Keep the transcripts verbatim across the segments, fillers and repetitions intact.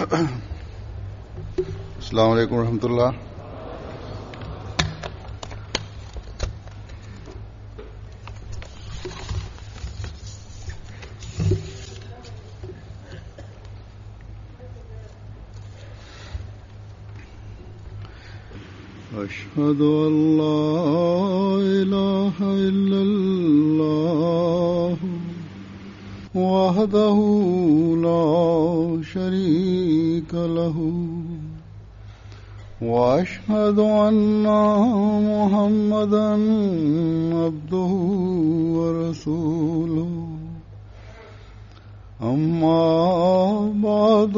अस्सलाम वालेकुम रहमतुल्लाह। أشهد أن لا إله إلا الله وحده لا شريك له وأشهد أن محمدا عبده ورسوله أما بعد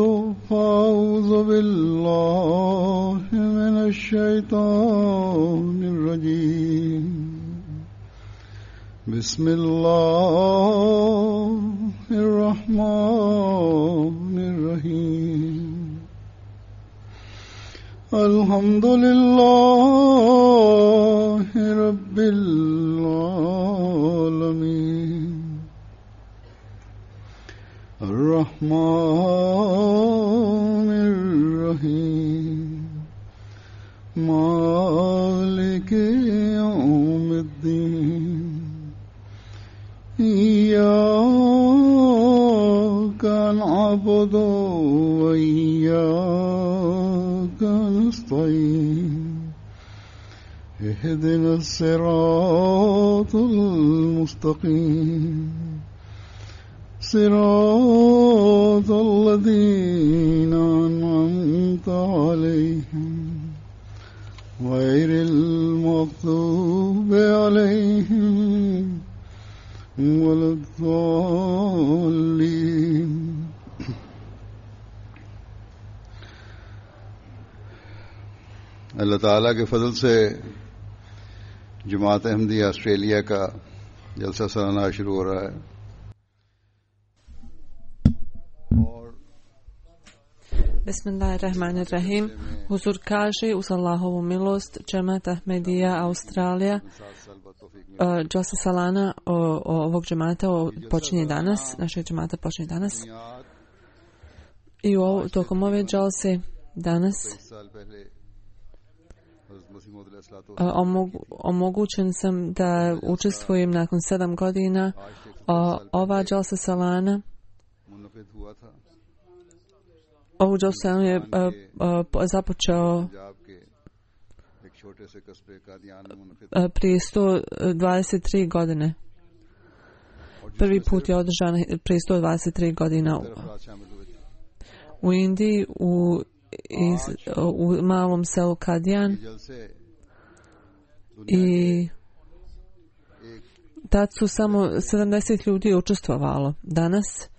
فأعوذ بالله من الشيطان الرجيم بسم الله الرحمن الرحيم الحمد لله رب العالمين الرحمن الرحيم مالك يوم الدين إياك نعبد وإياك نستعين اهدنا الصراط المستقيم صراط الذين أنعمت عليهم غير المغضوب عليهم ولا الضالين अल्लाह ताला के फजल से जमात अहमदिया ऑस्ट्रेलिया का जलसा सालाना शुरू हो रहा है। Bismillahirrahmanirrahim. Huzur kaže uz Allahovu milost Džemat Ahmedija Australija Džalsa Salana o, o ovog džemata počinje danas, našeg džemata počinje danas. I o, tokom ove džalse danas omogu, omogućen sam da učestvujem nakon sedam godina. O, ova Džalsa Salana Ovu džalsu je uh, uh, započeo uh, prije sto dvadeset tri godine. Prvi put je održan prije sto dvadeset tri godina u, u Indiji, u, iz, u malom selu Kadijan. I tad su samo sedamdeset ljudi učestvovalo. Danas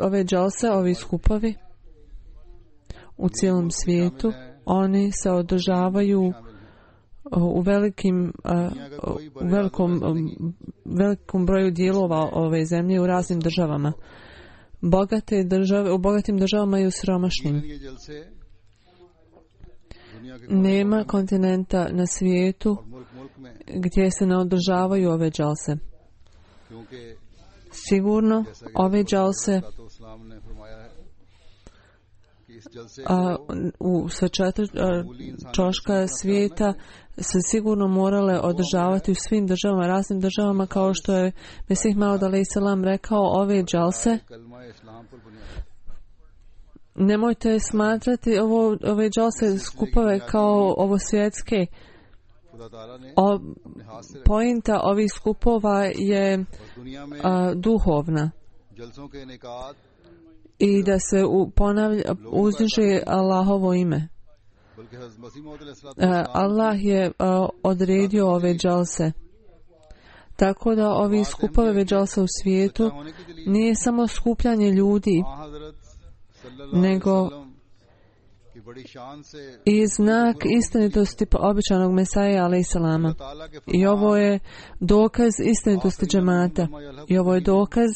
ove džalse, ovi skupovi u cijelom svijetu, oni se održavaju u velikim u velikom, velikom broju dijelova ove zemlje u raznim državama. Bogate države, u bogatim državama i u siromašnim. Nema kontinenta na svijetu gdje se ne održavaju ove džalse. Sigurno ove džalse a, u sve četiri čoška svijeta se sigurno morale održavati u svim državama, raznim državama, kao što je Mesih Maud alejhi selam rekao, ove džalse nemojte smatrati ovo, ove džalse skupove kao ovo svjetske. O, pointa ovih skupova je a, duhovna i da se u, ponavlja, uzdiže Allahovo ime. A, Allah je a, odredio ove džalse. Tako da ovi skupove džalsa u svijetu nije samo skupljanje ljudi, nego i znak istinitosti običanog Mesaja alejhi selama. I ovo je dokaz istinitosti džemata. I ovo je dokaz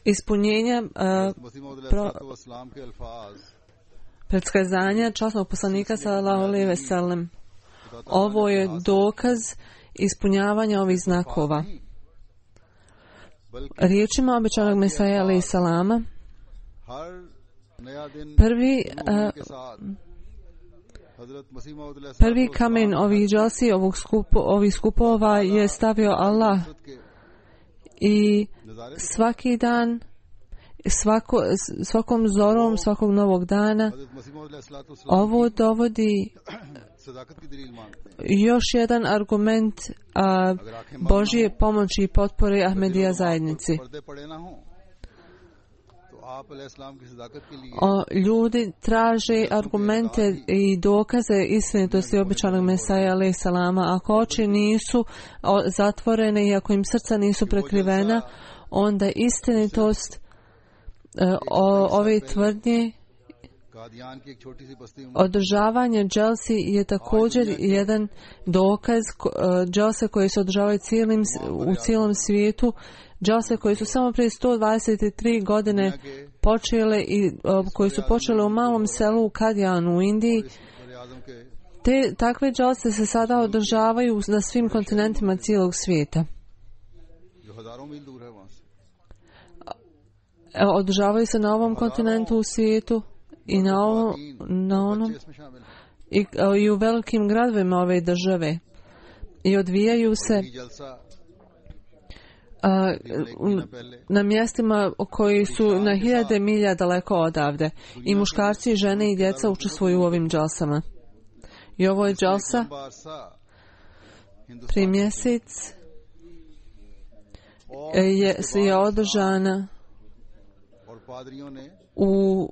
ispunjenja uh, pro, predskazanja časnog poslanika sallallahu alejhi ve sellem. Ovo je dokaz ispunjavanja ovih znakova. Riječima obećanog Mesaja alejhi salama, prvi uh, prvi kamen ovih džalsi, ovog skupo, ovih skupova je stavio Allah i svaki dan, svako, svakom zorom svakog novog dana ovo dovodi još jedan argument a, Božje pomoći i potpore Ahmedija zajednici. O, ljudi traže argumente i dokaze istinitosti obećanog Mesaja alejhi salama. Ako oči nisu o, zatvorene i ako im srca nisu prekrivena, onda istinitost e, o, ove tvrdnje, održavanje dželsi je također jedan dokaz. Dželse koje se održavaju cijelim, u cijelom svijetu, dželse koje su samo prije sto dvadeset tri godine počele i koje su počele u malom selu u Kadijanu u Indiji. Te takve dželse se sada održavaju na svim kontinentima cijelog svijeta. Održavaju se na ovom kontinentu u svijetu i na, ovom, na onom i, i u velikim gradovima ove države i odvijaju se a, na mjestima koji su na hiljade milja daleko odavde i muškarci, žene i djeca učestvuju u ovim džalsama. I ovo je džalsa prije mjesec je, je održana u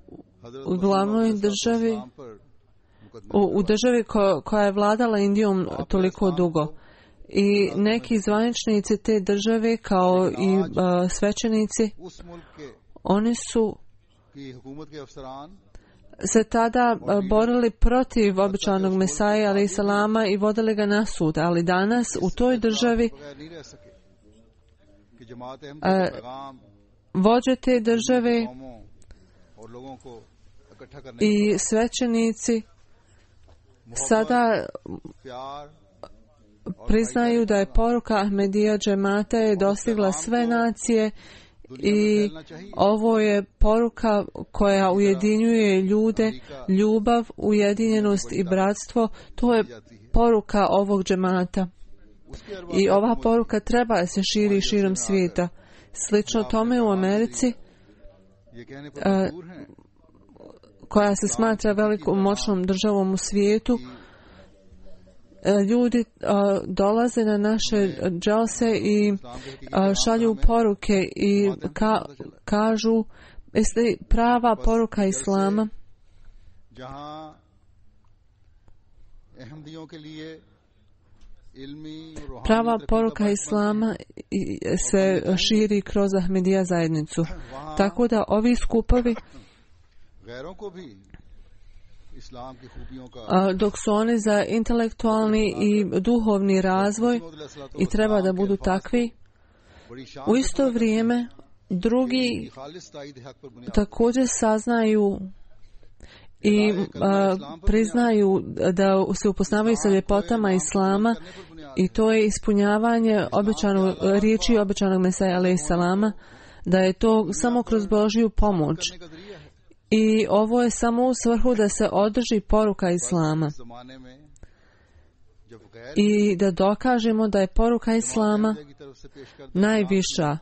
u glavnoj državi, u, u državi ko, koja je vladala Indijom toliko dugo. I neki zvaničnici te države, kao i uh, svećenici, oni su se tada uh, borili protiv obećanog Mesaja alejhi salama i vodili ga na sud. Ali danas u toj državi uh, vođe te države i svećenici sada priznaju da je poruka Ahmedija džemata je dostigla sve nacije i ovo je poruka koja ujedinjuje ljude, ljubav, ujedinjenost i bratstvo. To je poruka ovog džemata. I ova poruka treba da se širi širom svijeta. Slično tome u Americi, uh, koja se smatra velikom moćnom državom u svijetu, ljudi uh, dolaze na naše džalse i uh, šalju poruke i ka, kažu jeste prava poruka Islama prava poruka Islama se širi kroz Ahmedija zajednicu. Tako da ovi skupovi, dok su oni za intelektualni i duhovni razvoj i treba da budu takvi, u isto vrijeme drugi također saznaju i a, priznaju da se upoznavaju sa ljepotama Islama i to je ispunjavanje obećanog, riječi obećanog Mesaja alejhi salama, da je to samo kroz Božju pomoć. I ovo je samo u svrhu da se održi poruka Islama i da dokažemo da je poruka Islama najviša.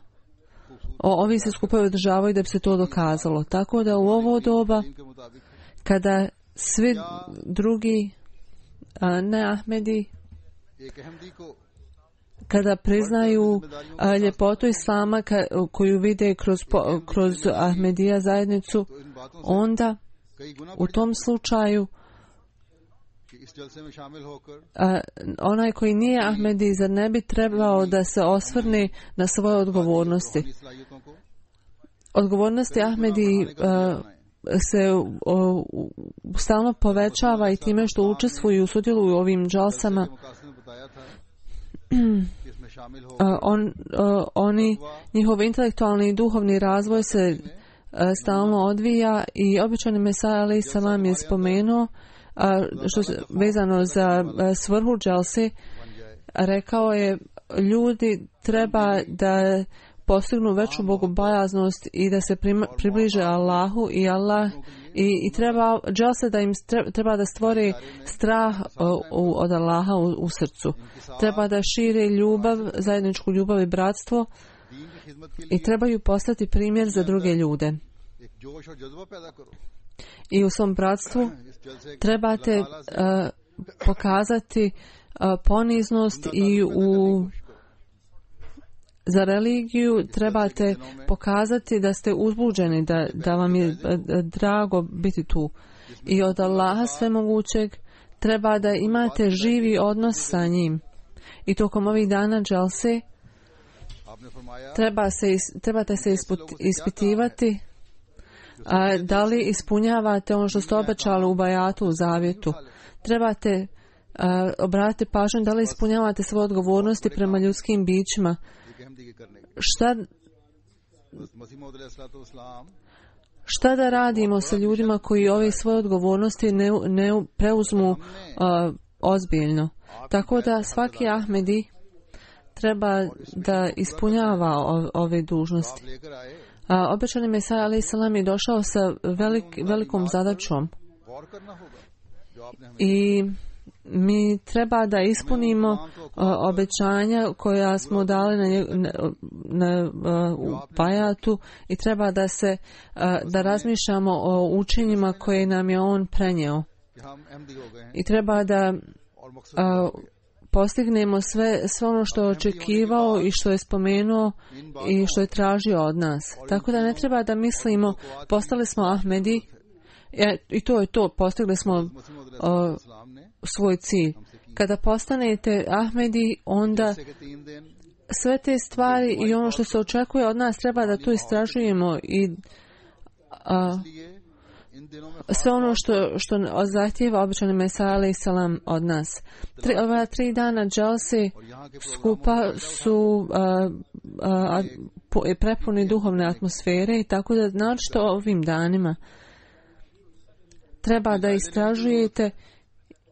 O, ovi se skupovi održavaju da bi se to dokazalo. Tako da u ovo doba, kada svi drugi a, ne Ahmedi, kada priznaju a, ljepotu Islama ka, koju vide kroz, po, kroz Ahmedija zajednicu, onda u tom slučaju a, onaj koji nije Ahmedi, zar ne bi trebao da se osvrne na svoje odgovornosti? Odgovornosti Ahmedi a, se o, stalno povećava i time što učestvuju i sudjeluju u ovim džalsama. On, oni, njihov intelektualni i duhovni razvoj se stalno odvija i običani Mesaja alejhi salam je spomenuo što se vezano za svrhu džalse rekao je, ljudi treba da postignu veću bogobojaznost i da se približe Allahu i Allah i, i treba dželse da im treba da stvori strah od Allaha u, u srcu. Treba da šire ljubav, zajedničku ljubav i bratstvo i trebaju postati primjer za druge ljude. I u svom bratstvu trebate uh, pokazati uh, poniznost i u za religiju trebate pokazati da ste uzbuđeni, da, da vam je drago biti tu. I od Allaha svemogućeg treba da imate živi odnos sa njim. I tokom ovih dana dželse treba se, trebate se ispitivati a, da li ispunjavate ono što ste obećali u bajatu, u zavjetu. Trebate a, obratiti pažnju da li ispunjavate svoje odgovornosti prema ljudskim bićima. Šta, šta da radimo sa ljudima koji ove svoje odgovornosti ne, ne preuzmu uh, ozbiljno? Tako da svaki Ahmedi treba da ispunjava o, ove dužnosti. Uh, obećani Mesija alejhi selam je došao sa velik, velikom zadaćom. I mi treba da ispunimo uh, obećanja koja smo dali na, nje, na, na uh, u bajatu i treba da se uh, da razmišljamo o učenjima koje nam je on prenio. I treba da uh, postignemo sve, sve ono što je očekivao i što je spomenuo i što je tražio od nas. Tako da ne treba da mislimo postali smo Ahmedi i to je to, postigli smo uh, svoj cilj. Kada postanete Ahmedi, onda sve te stvari i ono što se očekuje od nas treba da to istražujemo i a, sve ono što, što zahtijeva obećani Mesija alejhi selam od nas. Tri, ova tri dana dželse skupa su a, a, a, prepuni duhovne atmosfere i tako da naročito ovim danima treba da istražujete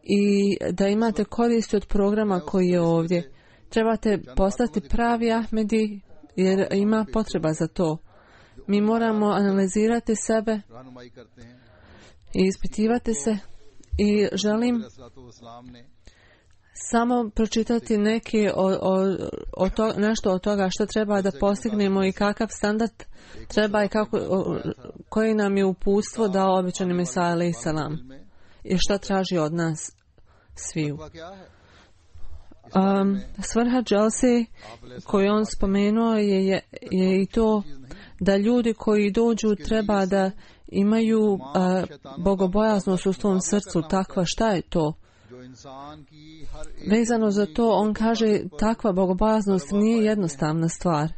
i da imate koristi od programa koji je ovdje. Trebate postati pravi Ahmedi jer ima potreba za to. Mi moramo analizirati sebe i ispitivati se i želim samo pročitati neki o, o, o to, nešto od toga što treba da postignemo i kakav standard treba i kako, o, koji nam je uputstvo dao obećani Mesija alejhi selam i šta traži od nas sviju. Um, svrha dželse koju on spomenuo je, je, je i to da ljudi koji dođu treba da imaju uh, bogobojaznost u svom srcu. Takva, šta je to? Vezano za to, on kaže, takva bogobojaznost nije jednostavna stvar.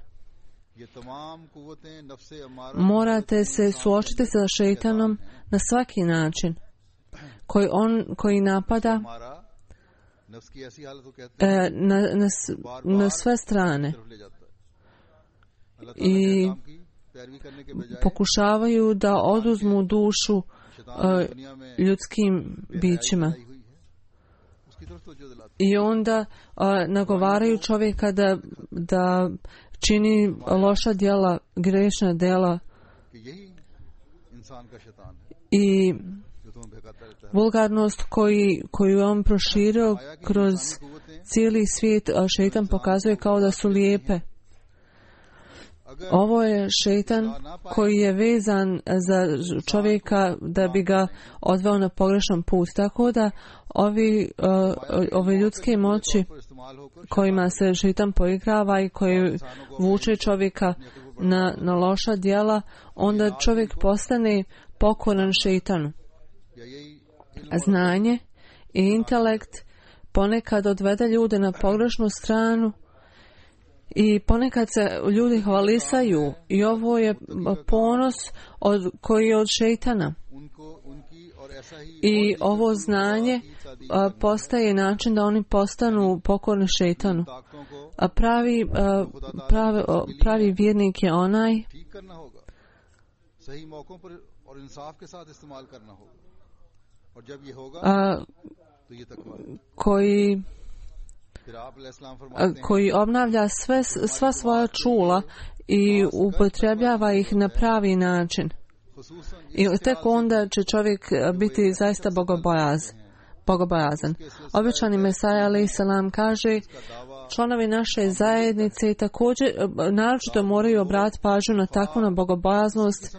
Morate se suočiti sa šejtanom na svaki način koji on koji napada e, na, na, na sve strane i pokušavaju da oduzmu dušu e, ljudskim bićima. I onda a, nagovaraju čovjeka da, da čini loša djela, grešna djela i vulgarnost koji, koju je on proširio kroz cijeli svijet, a šejtan pokazuje kao da su lijepe. Ovo je šejtan koji je vezan za čovjeka da bi ga odveo na pogrešan put. Tako da ovi, uh, ove ljudske moći kojima se šejtan poigrava i koji vuče čovjeka na, na loša djela, onda čovjek postane pokoran šejtanu. Znanje i intelekt ponekad odvede ljude na pogrešnu stranu i ponekad se ljudi hvalisaju i ovo je ponos od, koji je od šejtana. I ovo znanje a, postaje način da oni postanu pokorni šejtanu. A pravi, a, pravi, a, pravi vjernik je onaj a, koji koji obnavlja sve, sva svoja čula i upotrebljava ih na pravi način. I tek onda će čovjek biti zaista bogobojaz, bogobojazan. Obećani Mesaja alejhi selam kaže, članovi naše zajednice također naročito moraju obratiti pažnju na takvu na bogobojaznost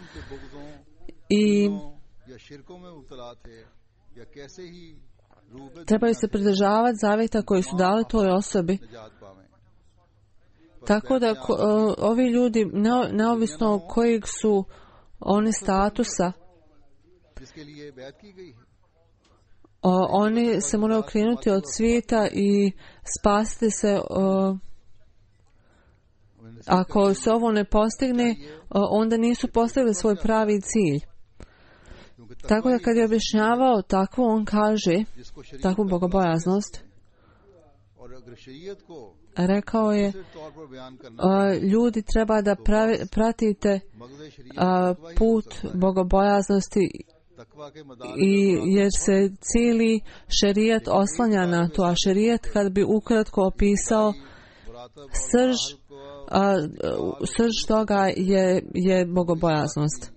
i trebaju se pridržavati zavjeta koji su dali toj osobi. Tako da ko, ovi ljudi, neovisno kojeg su oni statusa, o, oni se moraju okrenuti od svijeta i spasiti se. O, ako se ovo ne postigne, o, onda nisu postigli svoj pravi cilj. Tako da kad je objašnjavao takvu, on kaže, takvu bogobojaznost, rekao je, a, ljudi treba da pravi, pratite a, put bogobojaznosti i jer se cijeli šerijat oslanja na to, a šerijat kad bi ukratko opisao srž, a, srž toga je, je bogobojaznost.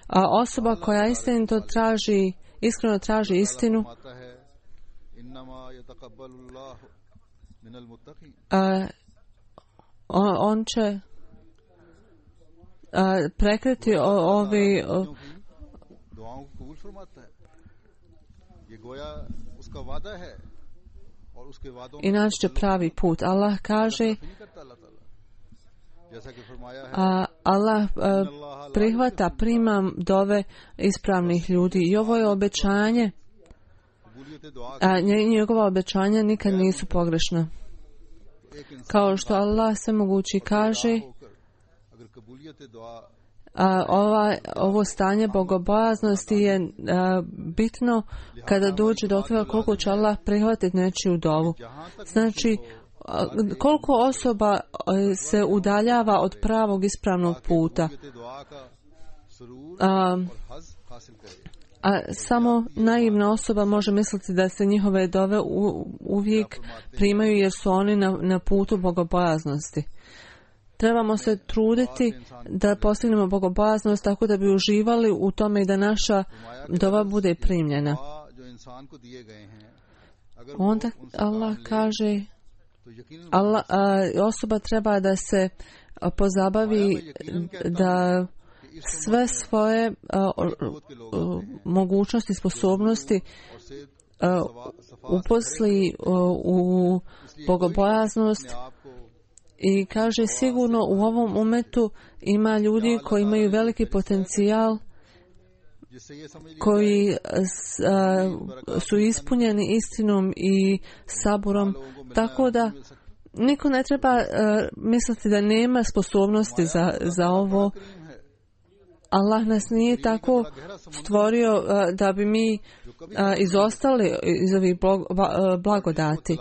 A osoba koja istinito traži, iskreno traži istinu, a, on, on će a, prekriti o, ovi o, i naći će pravi put. Allah kaže, a Allah a, prihvata, prima dove ispravnih ljudi i ovo je obećanje, a njegova obećanja nikad nisu pogrešna. Kao što Allah svemogući kaže, a ova, ovo stanje bogobojaznosti je a, bitno kada dođe do toga koliko će Allah prihvatiti nečiju dovu. Znači, a, koliko osoba a, se udaljava od pravog ispravnog puta. A, a samo naivna osoba može misliti da se njihove dove u, uvijek primaju jer su oni na, na putu bogobojaznosti. Trebamo se truditi da postignemo bogobojaznost tako da bi uživali u tome i da naša dova bude primljena. Onda Allah kaže, Allah, a, osoba treba da se a, pozabavi da sve svoje a, a, a, mogućnosti, sposobnosti a, uposli a, u bogobojaznost. I kaže, sigurno u ovom umetu ima ljudi koji imaju veliki potencijal, koji a, su ispunjeni istinom i saburom, tako da niko ne treba a, misliti da nema sposobnosti za, za ovo. Allah nas nije tako stvorio a, da bi mi a, izostali iz ovih blagodati.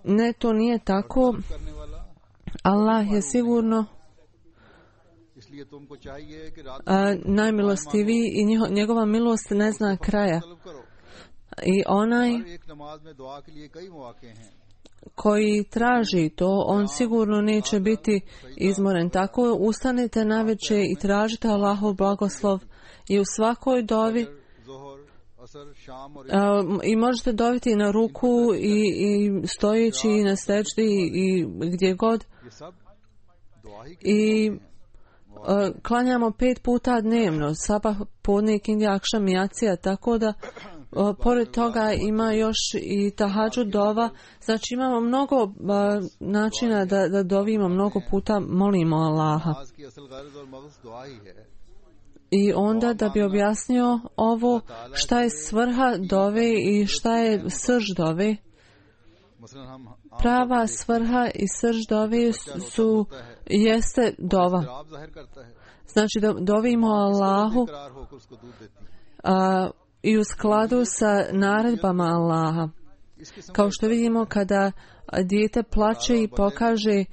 Ne, to nije tako. Allah je sigurno a, najmilostiviji i njiho, njegova milost ne zna kraja. I onaj koji traži to, on sigurno neće biti izmoren. Tako ustanite navečer i tražite Allahov blagoslov i u svakoj dovi a, i možete doviti na ruku i, i stojeći i na sećdi i gdje god. I a, klanjamo pet puta dnevno, sabah, podne, kindija, akšam i jacija, tako da a, pored toga ima još i tahadžud dova. Znači imamo mnogo a, načina da, da dovimo, mnogo puta molimo Allaha. I onda da bi objasnio ovo, šta je svrha dove i šta je srž dove. Prava svrha i srž dove su, jeste dova. Znači da dovimo Allahu a, i u skladu sa naredbama Allaha. Kao što vidimo kada dijete plače i pokaže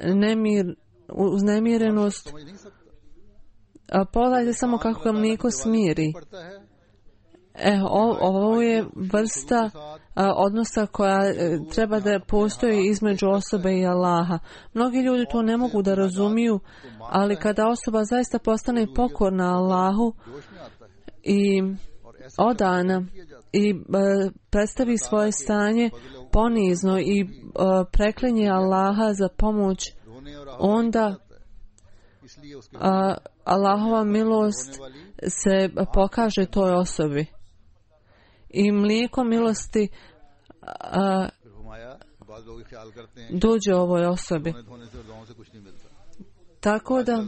nemir, uznemirenost, a pogledajte samo kako ga mlijeko smiri. E, o, ovo je vrsta a, odnosa koja e, treba da postoji između osobe i Allaha. Mnogi ljudi to ne mogu da razumiju, ali kada osoba zaista postane pokorna Allahu i odana i e, predstavi svoje stanje ponizno i e, preklinje Allaha za pomoć, onda a, Allahova milost se pokaže toj osobi. I mlijeko milosti a, dođe ovoj osobi. Tako da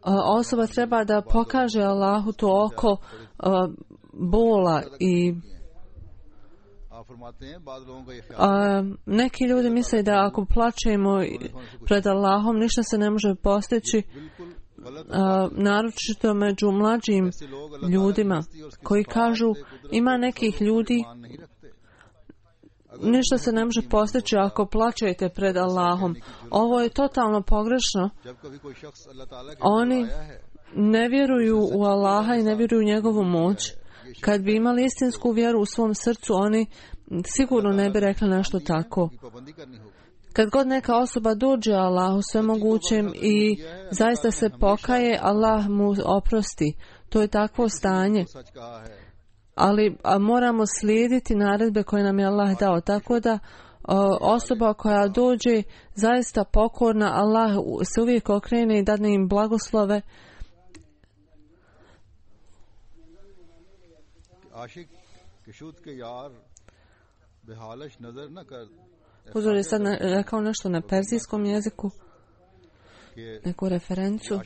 a, osoba treba da pokaže Allahu to oko a, bola i a, neki ljudi misle da ako plačemo pred Allahom ništa se ne može postići, a, naročito među mlađim ljudima koji kažu ima nekih ljudi ništa se ne može postići ako plačete pred Allahom. Ovo je totalno pogrešno. Oni ne vjeruju u Allaha i ne vjeruju u njegovu moć. Kad bi imali istinsku vjeru u svom srcu, oni sigurno ne bi rekli nešto tako. Kad god neka osoba dođe Allahu svemogućem i zaista se pokaje, Allah mu oprosti. To je takvo stanje. Ali a, moramo slijediti naredbe koje nam je Allah dao. Tako da a, osoba koja dođe zaista pokorna, Allah se uvijek okrene i dadne im blagoslove. Huzur je sad rekao nešto na perzijskom jeziku, neku referencu.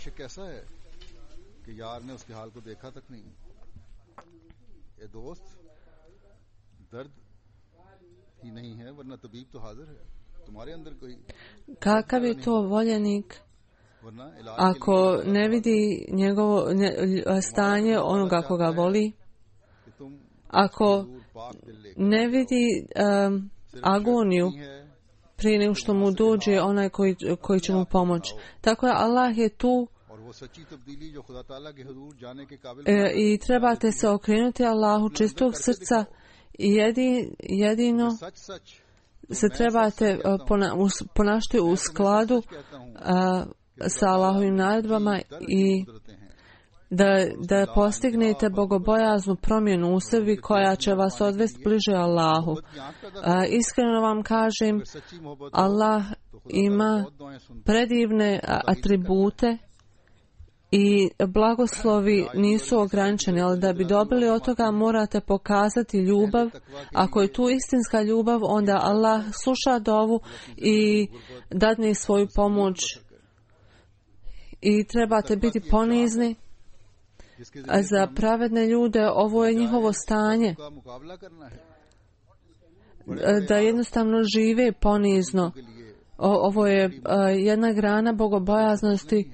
Kakav je to voljenik ako ne vidi njegovo ne, stanje onoga koga voli, ako ne vidi um, agoniju prije nego što mu dođe onaj koji, koji će mu pomoći. Tako je, Allah je tu e, i trebate se okrenuti Allahu čistog srca i jedi, jedino se trebate pona, ponašati u skladu a, sa Allahovim naredbama i da, da postignete bogobojaznu promjenu u sebi koja će vas odvesti bliže Allahu. A, iskreno vam kažem, Allah ima predivne atribute i blagoslovi nisu ograničeni, ali da bi dobili od toga morate pokazati ljubav. Ako je tu istinska ljubav, onda Allah sluša dovu i dadne svoju pomoć. I trebate biti ponizni. A za pravedne ljude ovo je njihovo stanje. Da jednostavno žive ponizno. O, ovo je uh, jedna grana bogobojaznosti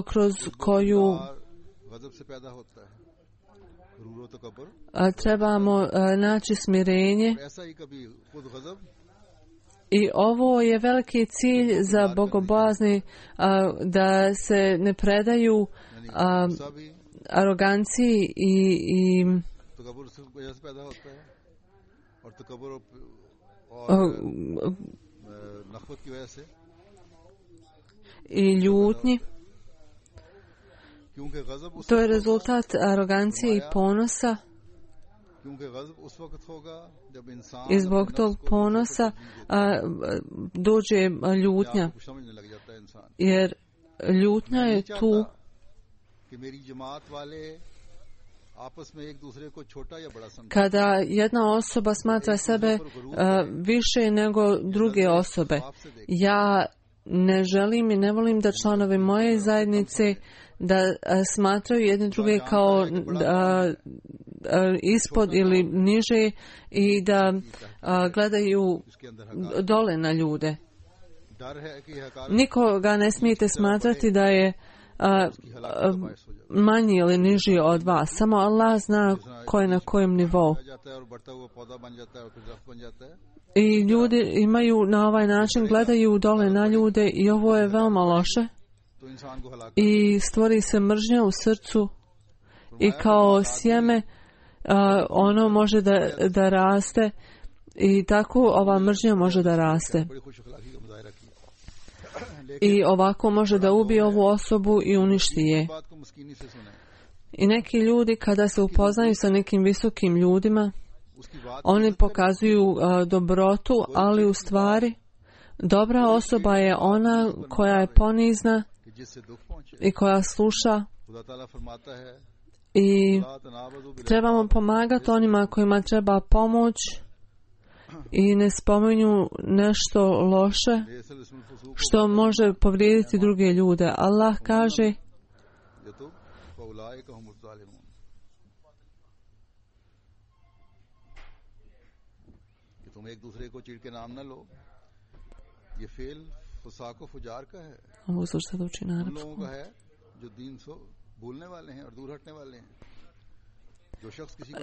kroz koju uh, trebamo uh, naći smirenje. I ovo je veliki cilj za bogobojazni, uh, da se ne predaju uh, aroganciji i, i uh, i ljutnji. To je rezultat arogancije i ponosa. I zbog tog ponosa a, dođe ljutnja. Jer ljutnja je tu kada jedna osoba smatra sebe a, više nego druge osobe. Ja ne želim i ne volim da članovi moje zajednice da a, smatraju jedne druge kao a, a, ispod ili niže i da a, gledaju dole na ljude. Nikoga ne smijete smatrati da je a, a, manji ili niži od vas. Samo Allah zna ko je na kojem nivou. I ljudi imaju na ovaj način, gledaju dole na ljude i ovo je veoma loše. I stvori se mržnja u srcu i kao sjeme a, ono može da, da raste i tako ova mržnja može da raste. I ovako može da ubije ovu osobu i uništi je. I neki ljudi kada se upoznaju sa nekim visokim ljudima, oni pokazuju uh, dobrotu, ali u stvari dobra osoba je ona koja je ponizna i koja sluša i trebamo pomagati onima kojima treba pomoć i ne spominju nešto loše što može povrijediti druge ljude. Allah kaže ovo su što uči na arapskom.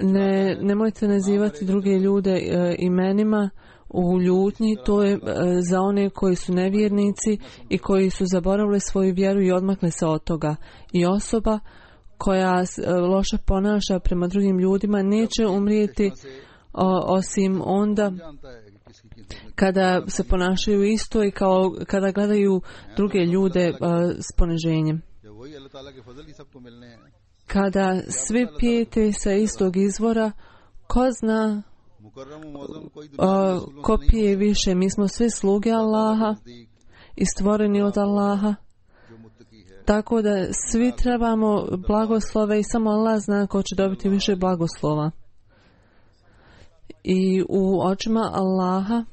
Ne, nemojte nazivati druge ljude e, imenima u ljutnji, to je e, za one koji su nevjernici i koji su zaboravili svoju vjeru i odmakli se od toga. I osoba koja e, loše ponaša prema drugim ljudima neće umrijeti o, osim onda kada se ponašaju isto i kao kada gledaju druge ljude e, s poniženjem. Kada svi pijete sa istog izvora, ko zna o, ko pije više? Mi smo svi sluge Allaha i stvoreni od Allaha. Tako da svi trebamo blagoslove i samo Allah zna ko će dobiti više blagoslova. I u očima Allaha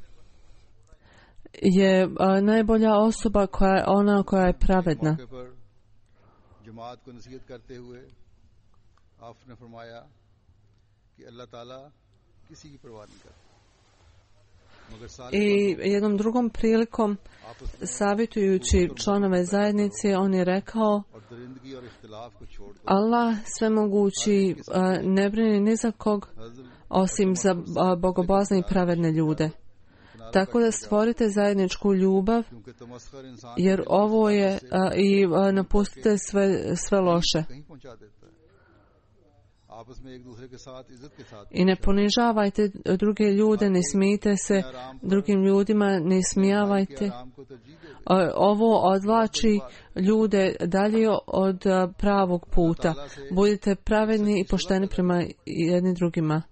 je a, najbolja osoba koja je ona koja je pravedna. I jednom drugom prilikom savjetujući članove zajednice on je rekao Allah svemogući ne brini ni za kog osim za bogobozne i pravedne ljude. Tako da stvorite zajedničku ljubav jer ovo je i napustite sve, sve loše. I ne ponižavajte druge ljude, ne smijte se drugim ljudima, ne smijavajte. Ovo odvlači ljude dalje od pravog puta. Budite pravedni i pošteni prema jedni drugima.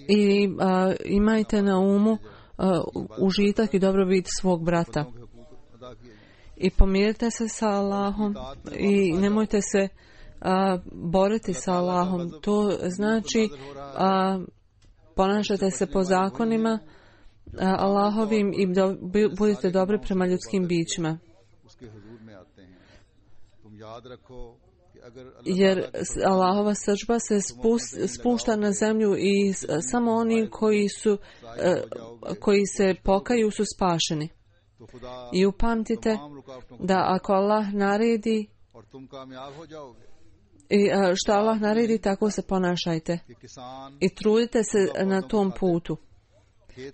I a, imajte na umu a, užitak i dobrobit svog brata. I pomirite se sa Allahom i nemojte se a, boriti sa Allahom. To znači a, ponašate se po zakonima a, Allahovim i do, budite dobri prema ljudskim bićima. Jer Allahova srdžba se spušta na zemlju i samo oni koji su koji se pokaju su spašeni. I upamtite da ako Allah naredi i što Allah naredi tako se ponašajte i trudite se na tom putu.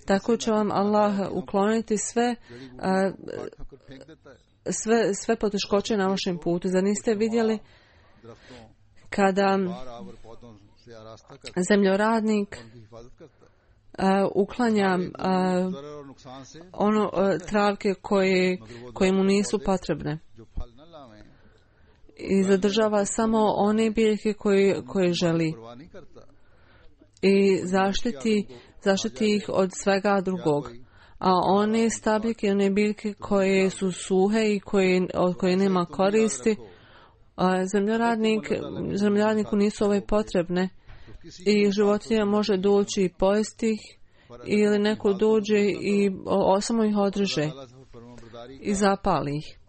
Tako će vam Allah ukloniti sve sve, sve poteškoće na vašem putu. Zar niste vidjeli kada zemljoradnik uh, uklanja uh, ono uh, travke koje, koje mu nisu potrebne i zadržava samo one biljke koje, koje želi i zaštiti, zaštiti ih od svega drugog. A one stabljike, one biljke koje su suhe i koje, od koje nema koristi, a zemljoradnik, zemljoradniku nisu ove potrebne i životinja može doći i pojesti ih ili neko dođe i o, samo ih održe i zapali ih.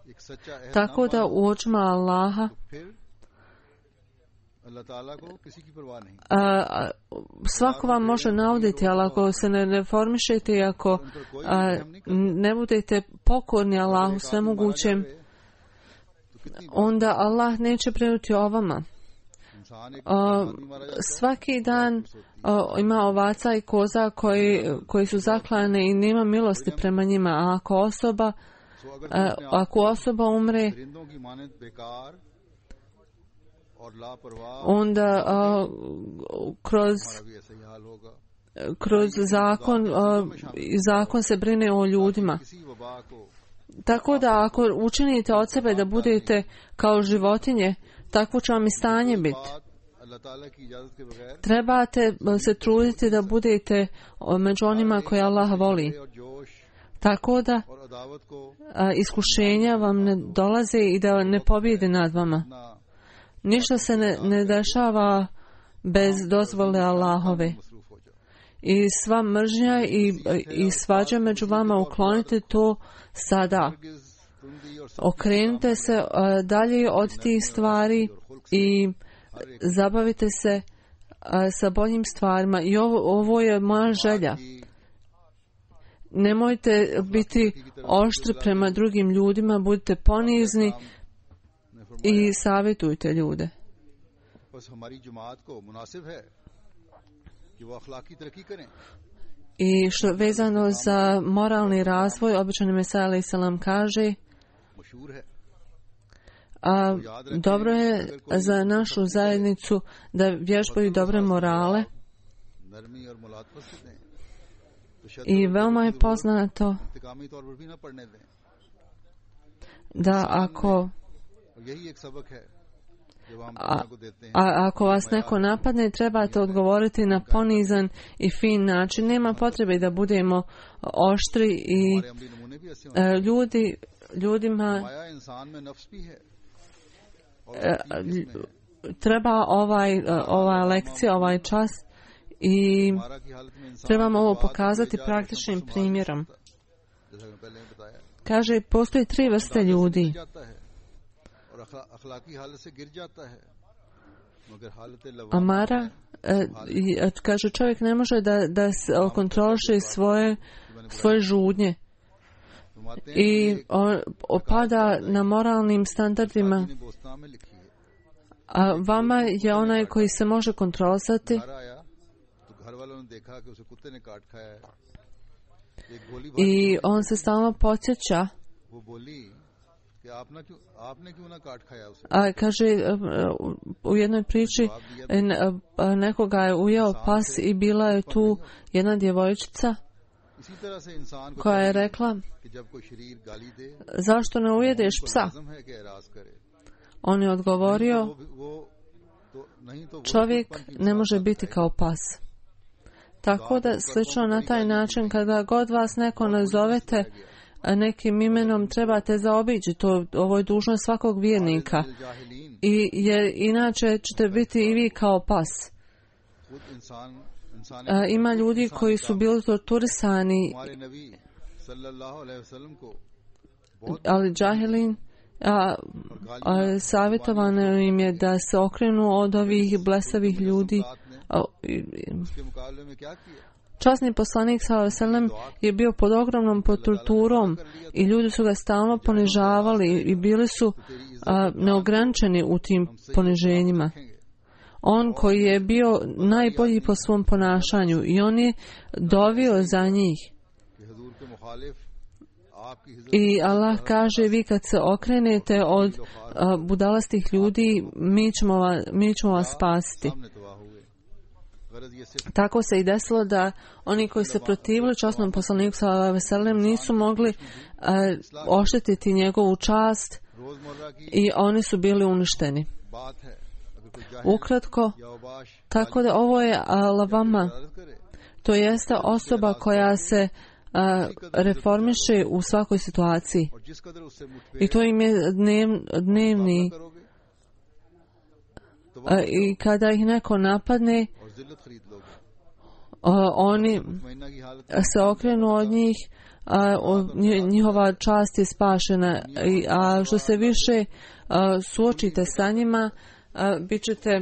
Tako da u očima Allaha a, a, svako vam može nauditi, ali ako se ne reformišete i ako a, ne budete pokorni Allahu svemogućem, onda Allah neće brinuti o vama. A, svaki dan a, ima ovaca i koza koji, koji su zaklane i nema milosti prema njima, a ako osoba a, ako osoba umre onda uh, kroz kroz zakon uh, zakon se brine o ljudima. Tako da ako učinite od sebe da budete kao životinje, takvo će vam i stanje biti. Trebate se truditi da budete među onima koje Allah voli. Tako da a, iskušenja vam ne dolaze i da ne pobjede nad vama. Ništa se ne, ne dešava bez dozvole Allahove. I sva mržnja i, i svađa među vama, uklonite to sada. Okrenite se a, dalje od tih stvari i zabavite se a, sa boljim stvarima. I ovo, ovo je moja želja. Nemojte biti oštri prema drugim ljudima, budite ponizni i savjetujte ljude. I što vezano za moralni razvoj, običan Mesija alejhi selam kaže, a dobro je za našu zajednicu da vježbaju dobre morale. I veoma je poznato da ako a, a ako vas neko napadne, trebate odgovoriti na ponizan i fin način. Nema potrebe da budemo oštri i e, ljudi ljudima e, treba ovaj ova lekcija, ovaj čas i trebamo ovo pokazati praktičnim primjerom. Kaže, postoji tri vrste ljudi. Amara, e, kaže, čovjek ne može da, da kontroliše svoje, svoje žudnje i opada na moralnim standardima. A vama je onaj koji se može kontrolisati i on se stalno podsjeća. A kaže, u jednoj priči nekoga je ujeo pas i bila je tu jedna djevojčica koja je rekla, zašto ne ujedeš psa? On je odgovorio, čovjek ne može biti kao pas. Tako da slično na taj način, kada god vas neko nazovete nekim imenom, trebate zaobići to. Ovo je dužnost svakog vjernika. I jer inače ćete biti i vi kao pas. A, ima ljudi koji su bili torturisani, ali džahilin, a, a, savjetovano im je da se okrenu od ovih blesavih ljudi. A, i, Časni poslanik sallallahu alejhi ve sellem je bio pod ogromnom torturom i ljudi su ga stalno ponižavali i bili su a, neograničeni u tim poniženjima. On koji je bio najbolji po svom ponašanju i on je dovio za njih. I Allah kaže, vi kad se okrenete od a, budalastih ljudi, mi ćemo, va, mi ćemo vas spasiti. Tako se i desilo da oni koji se protivili časnom poslaniku sallallahu alejhi ve sellem nisu mogli uh, oštetiti njegovu čast i oni su bili uništeni. Ukratko, tako da ovo je lavama, to jeste osoba koja se uh, reformiše u svakoj situaciji. I to im je dnev, dnevni. Uh, I kada ih neko napadne, Uh, oni se okrenu od njih, uh, njihova čast je spašena. I, a što se više uh, suočite sa njima, uh, bit ćete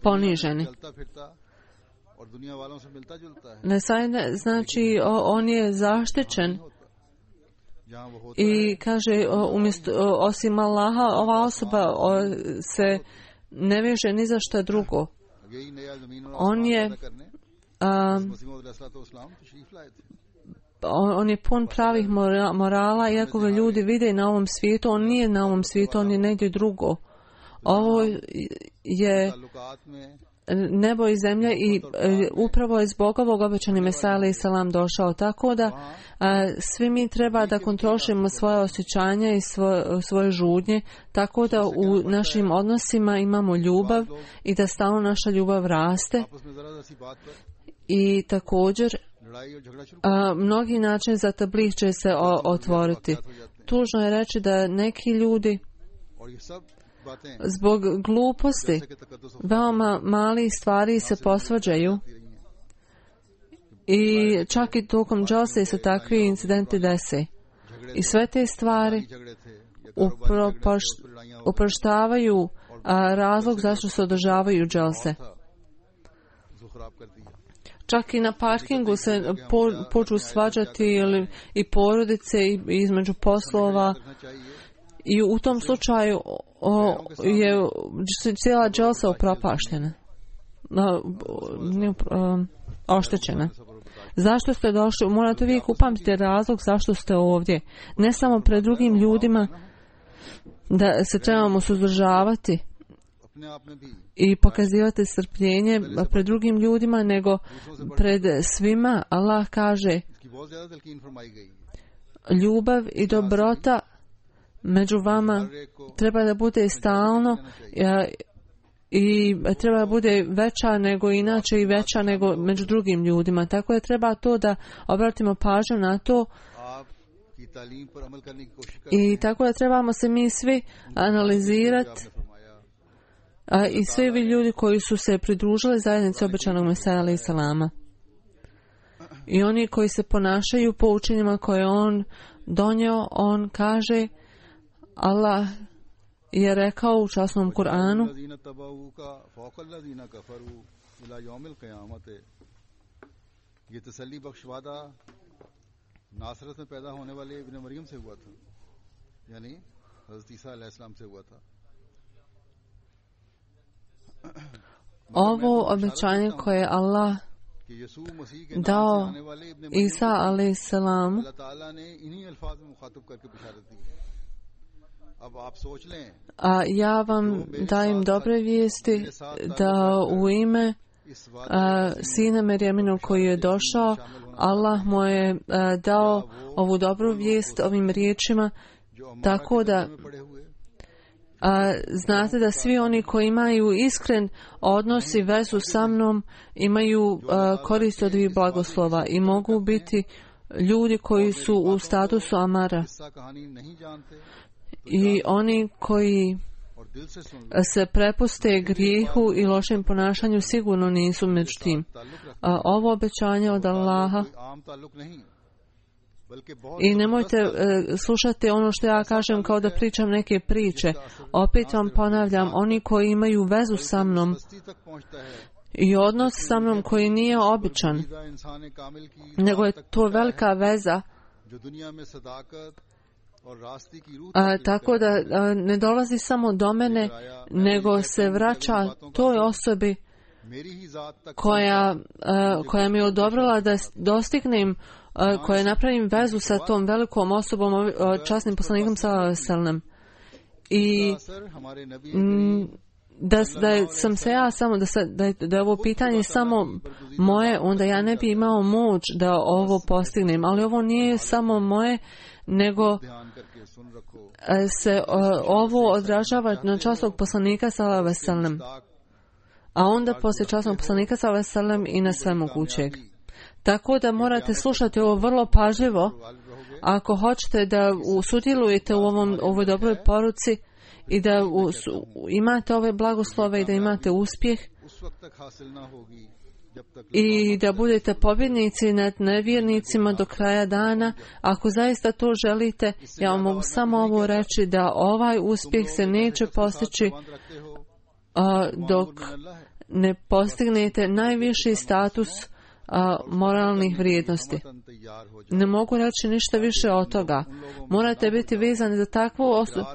poniženi. Ne znači on je zaštićen i kaže umjesto, osim Allaha, ova osoba se ne veže ni za šta drugo. On je um, on je pun pravih morala, iako ga ljudi vide na ovom svijetu, on nije na ovom svijetu, on je negdje drugo. Ovo je nebo i zemlja i e, upravo je zbog ovog obećani Mesija alejhi selam došao, tako da a, svi mi treba da kontrolišemo svoje osjećanja i svoje, svoje žudnje, tako da u našim odnosima imamo ljubav i da stalno naša ljubav raste. I također a, mnogi način za tabligh će se o, otvoriti. Tužno je reći da neki ljudi zbog gluposti veoma mali stvari se posvađaju i čak i tokom džalse se takvi incidenti dese. I sve te stvari uproštavaju razlog zašto se održavaju džalse. Čak i na parkingu se po, poču svađati ili, i porodice i, između poslova. I u tom slučaju o, je cijela dželsa upropaštena, oštećena. Zašto ste došli? Morate uvijek upamtiti razlog zašto ste ovdje. Ne samo pred drugim ljudima da se trebamo suzdržavati i pokazivati strpljenje pred drugim ljudima, nego pred svima. Allah kaže, ljubav i dobrota među vama treba da bude stalno i treba da bude veća nego inače i veća nego među drugim ljudima. Tako je treba to da obratimo pažnju na to i tako da trebamo se mi svi analizirati i svi vi ljudi koji su se pridružili zajednici obećanog Mesija alejhi selama i oni koji se ponašaju po učenjima koje on donio. On kaže, Allah je rekao u časnom Kur'anu, ovo obećanje koje je Allah dao Isa alejhi selam, a ja vam dajem dobre vijesti da u ime a, sina Merjeminog koji je došao, Allah mu je a, dao ovu dobru vijest ovim riječima, tako da a, znate da svi oni koji imaju iskren odnos i vezu sa mnom imaju a, korist od ovih blagoslova i mogu biti ljudi koji su u statusu Amara. I oni koji se prepuste grijehu i lošem ponašanju sigurno nisu među tim. A ovo obećanje od Allaha, i nemojte e, slušati ono što ja kažem kao da pričam neke priče. Opet vam ponavljam, oni koji imaju vezu sa mnom i odnos sa mnom koji nije običan, nego je to velika veza, A, tako da a, ne dolazi samo do mene, nego se vraća toj osobi koja, a, koja mi je odobrila da dostignem, a, koja napravim vezu sa tom velikom osobom, a, časnim poslanikom sallallahu alejhi ve sellem. I m, da, da sam se ja samo, da, se, da, je, da je ovo pitanje samo moje, onda ja ne bi imao moć da ovo postignem. Ali ovo nije samo moje, nego se ovo odražava na časnog poslanika sallallahu alejhi ve sellem, a onda poslije časnog poslanika sallallahu alejhi ve sellem i na sve mogućeg. Tako da morate slušati ovo vrlo pažljivo ako hoćete da sudjelujete u ovom, ovoj dobroj poruci i da u, imate ove blagoslove i da imate uspjeh i da budete pobjednici nad nevjernicima do kraja dana. Ako zaista to želite, ja vam mogu samo ovo reći, da ovaj uspjeh se neće postići a, dok ne postignete najviši status a, moralnih vrijednosti. Ne mogu reći ništa više od toga. Morate biti vezani za takvu osobu,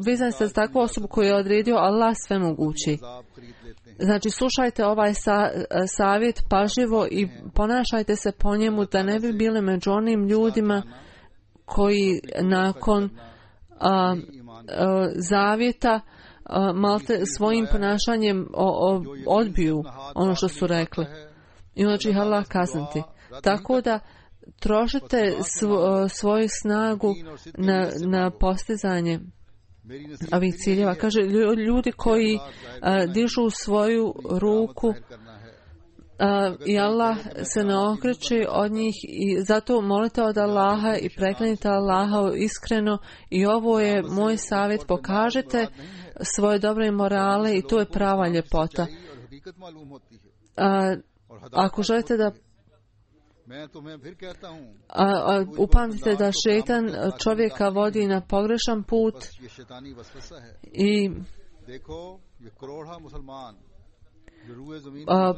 vezani za takvu osobu koju je odredio Allah svemogući. Znači, slušajte ovaj sa, savjet pažljivo i ponašajte se po njemu, da ne bi bili među onim ljudima koji nakon a, a, zavjeta malte svojim ponašanjem o, o, odbiju ono što su rekli. I onda će ih Allah kazniti. Tako da trošite svo, svoju snagu na, na postizanje ovih ciljeva. Kaže, ljudi koji a, dižu svoju ruku a, i Allah se ne okreće od njih i zato molite od Allaha i preklanite Allaha iskreno i ovo je moj savjet, pokažite svoje dobre morale i to je prava ljepota. A, ako želite da A, a, upamtite da šetan čovjeka vodi na pogrešan put i a,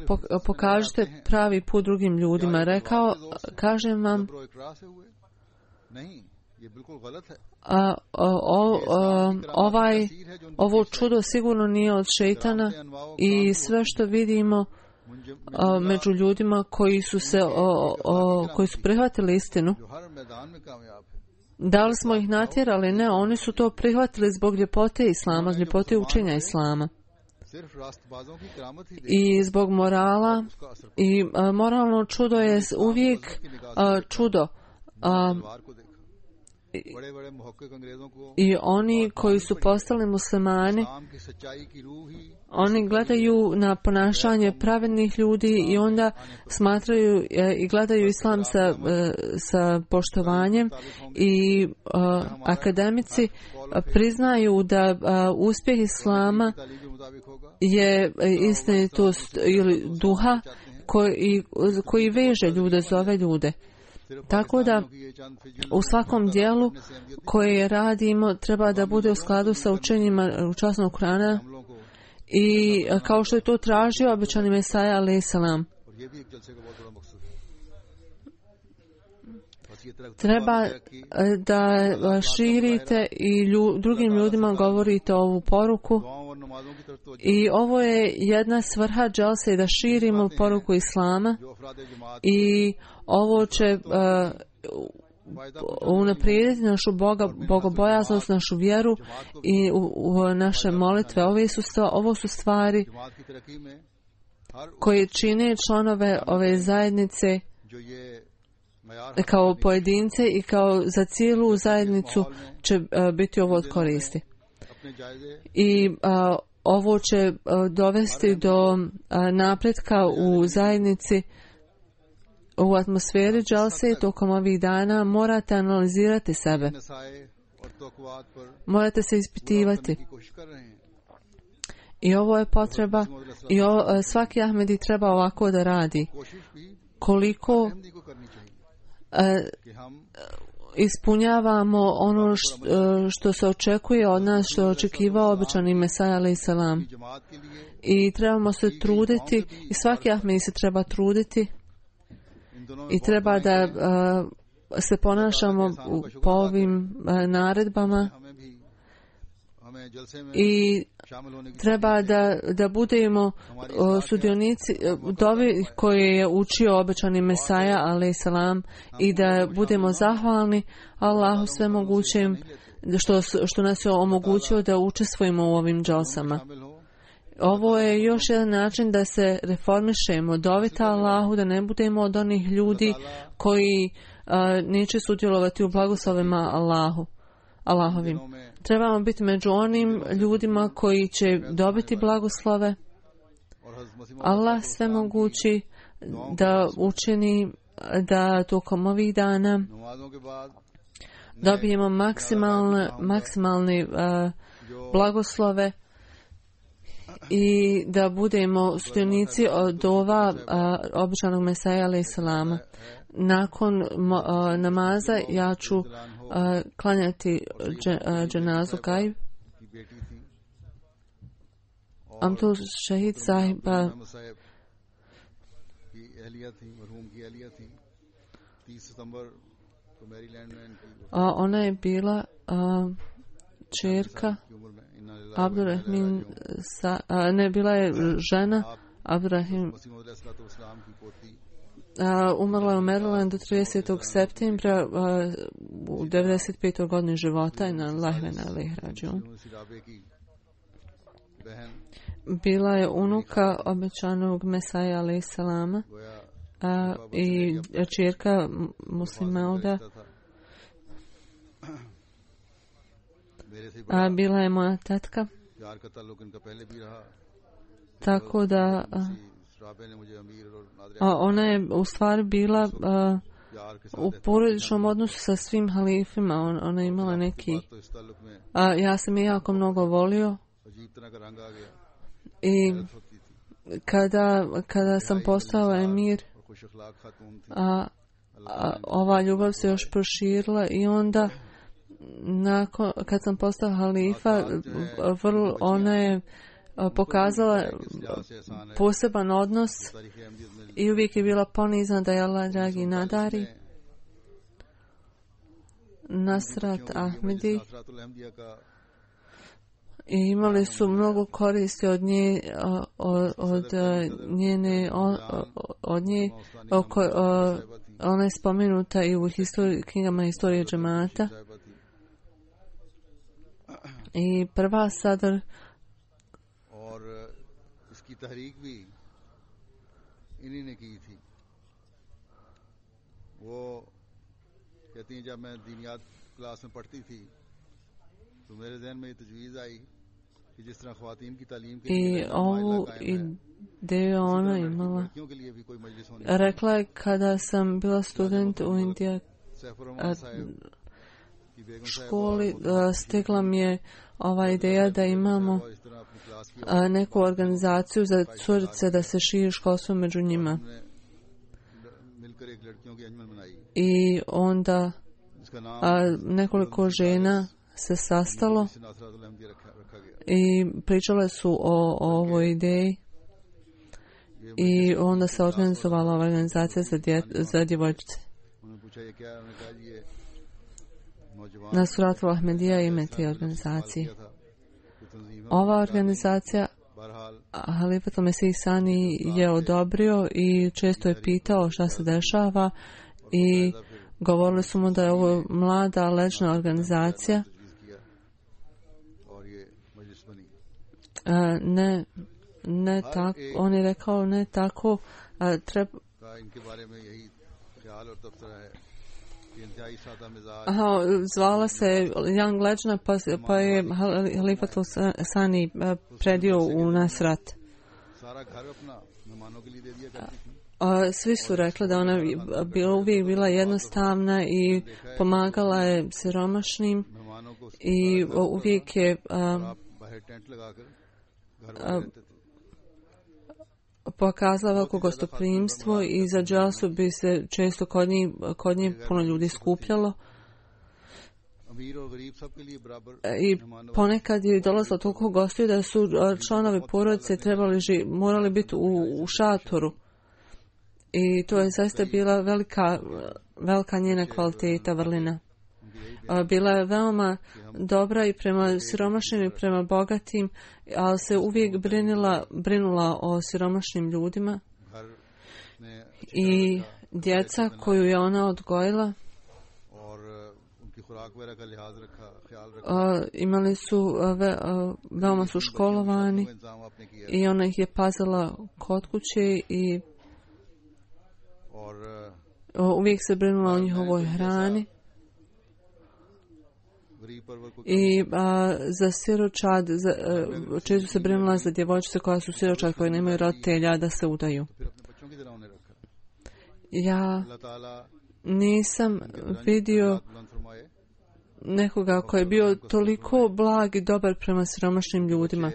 pokažite pravi put drugim ljudima. Rekao, kažem vam, a, o, o, ovaj, ovo čudo sigurno nije od šetana i sve što vidimo a, među ljudima koji su se o, o, koji su prihvatili istinu, da li smo ih natjerali? Ne, oni su to prihvatili zbog ljepote Islama, zbog ljepote učenja Islama i zbog morala. I a, moralno čudo je uvijek a, čudo. A, I, I oni koji su postali muslimani, oni gledaju na ponašanje pravednih ljudi i onda smatraju i gledaju islam sa, sa poštovanjem i uh, akademici priznaju da uh, uspjeh islama je istinitost ili duha koji, koji veže ljude, zove ljude. Tako da u svakom dijelu koje radimo treba da bude u skladu sa učenjima časnog Kurana i kao što je to tražio obećani Mesaja alejhi selam. Treba da širite i lju, drugim ljudima govorite ovu poruku i ovo je jedna svrha dželse da širimo poruku Islama i ovo će uh, unaprijediti našu boga, bogobojaznost, našu vjeru i u, u naše molitve. Ove su stva, ovo su stvari koje čine članove ove zajednice kao pojedince i kao za cijelu zajednicu će uh, biti ovo od koristi. I uh, ovo će uh, dovesti do uh, napretka u zajednici. U atmosferi džalse tokom ovih dana morate analizirati sebe. Morate se ispitivati. I ovo je potreba i ovo, svaki Ahmedi treba ovako da radi. Koliko e, ispunjavamo ono što, što se očekuje od nas, što je očekivao obećani Mesaja alejhi selam. I trebamo se truditi i svaki Ahmedi se treba truditi i treba da uh, se ponašamo po ovim uh, naredbama i treba da, da budemo uh, sudionici uh, dovi koje je učio obećani Mesaja alejhi selam i da budemo zahvalni Allahu svemogućem što, što nas je omogućio da učestvujemo u ovim džalsama. Ovo je još jedan način da se reformišemo, dovita Allahu, da ne budemo od onih ljudi koji uh, neće sudjelovati u blagoslovima Allahu, Allahovim. Trebamo biti među onim ljudima koji će dobiti blagoslove. Allah sve mogući da učini da tokom ovih dana dobijemo maksimalne, maksimalne uh, blagoslove i da budemo sudionici od ova običanog Mesaja alejhi selama. Nakon a, namaza ja ću a, klanjati dže, a, dženazu Gajb. Amtul Šehid sahiba a, ona je bila a, čerka Abdurrahim, sa, a, ne, bila je žena Abdurrahim, a, umrla je u Marylandu tridesetog septembra a, u devedeset petoj godini života i na Lahvena alejhi rađiun. bila je unuka obećanog Mesaja alejhi selama i čerka Muslimauda. A bila je moja tetka. Tako da a, ona je u stvari bila a, u porodičnom odnosu sa svim halifima. On, ona je imala neki a, ja sam je jako mnogo volio i kada, kada sam postao emir a, a, ova ljubav se još proširila i onda nakon, kad sam postao halifa vrlo, ona je pokazala poseban odnos i uvijek je bila ponizna da je Allah dragi nadari. Nasrat Ahmedi i imali su mnogo koristi od nje, od, od njene, od nje, oko, ona je spomenuta i u histori, knjigama historije džemata. I prva sadr i ovu ideju ona imala. Rekla je kada sam bila student u Indiji školi, stigla mi je ova ideja da imamo neku organizaciju za curice da se širi školstvo među njima. I onda a, nekoliko žena se sastalo i pričale su o, o ovoj ideji i onda se organizovala ova organizacija za, dje, za djevojčice. Nasratul Ahmedija ime te organizacije. Ova organizacija Halifatul Mesih Sani je odobrio i često je pitao šta se dešava i govorili su mu da je ovo mlada ležna organizacija. A, ne, ne tako, on je rekao ne tako, a, treba Aha, zvala se Young Legend, pa, pa je Halifatul Sani predio u Nasrat. A, svi su rekli da ona bila uvijek bila jednostavna i pomagala je siromašnim i uvijek je a, a, pokazala veliko gostoprimstvo i za dželsu bi se često kod njih, kod njih puno ljudi skupljalo. I ponekad je dolazilo toliko gostiju da su članovi porodice trebali ži, morali biti u, u šatoru. I to je zaista bila velika, velika njena kvaliteta, vrlina. Bila je veoma dobra i prema siromašnim i prema bogatim, ali se uvijek brinula, brinula o siromašnim ljudima. I djeca koju je ona odgojila a, imali su, ve, a, veoma su školovani i ona ih je pazila kod kuće i a, uvijek se brinula o njihovoj hrani. I a, za siročad, za, a, često se brinula za djevojčice koja su siročad, koje nemaju roditelja da se udaju. Ja nisam vidio nekoga koji je bio toliko blag i dobar prema siromašnim ljudima.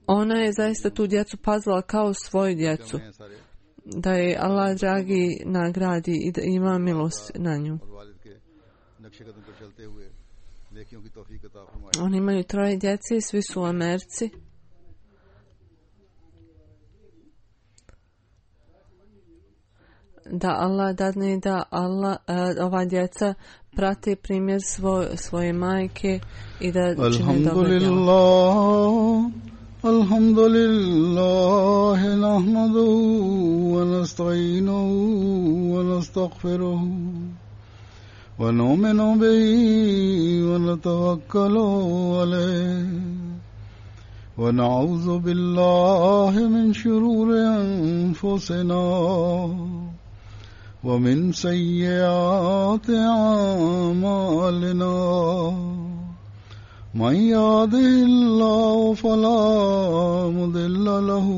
Ona je zaista tu djecu pazila kao svoju djecu. Da je Allah dragi nagradi i da ima milost na nju. Oni imaju troje djece i svi su u Americi. Da Allah dadne da Allah, uh, ova djeca prate primjer svoj, svoje majke i da čine dobro djelo. Alhamdulillah, nahmaduhu wa nasta'inuhu wa nastaghfiruhu ونؤمن به ونتوكل عليه ونعوذ بالله من شرور أنفسنا ومن سيئات أعمالنا من يهده الله فلا مضل له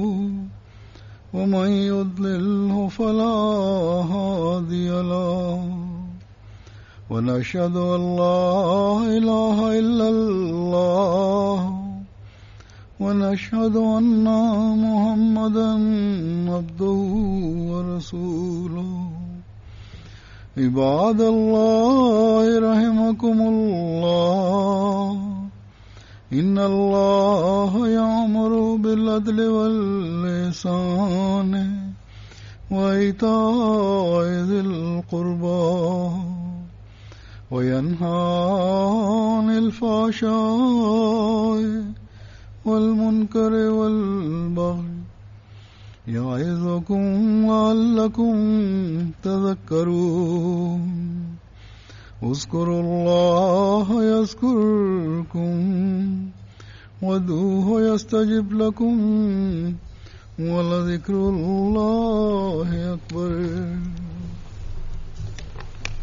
ومن يضلله فلا هادي له ونشهد أن لا إله إلا الله ونشهد أن محمدا عبده ورسوله عباد الله رحمكم الله إن الله يأمر بالعدل والإحسان وإيتاء ذي القربى وينهى عن الفحشاء والمنكر والبغي يعظكم لعلكم تذكرون اذكروا الله يذكركم وادعوه يستجب لكم ولذكر الله أكبر.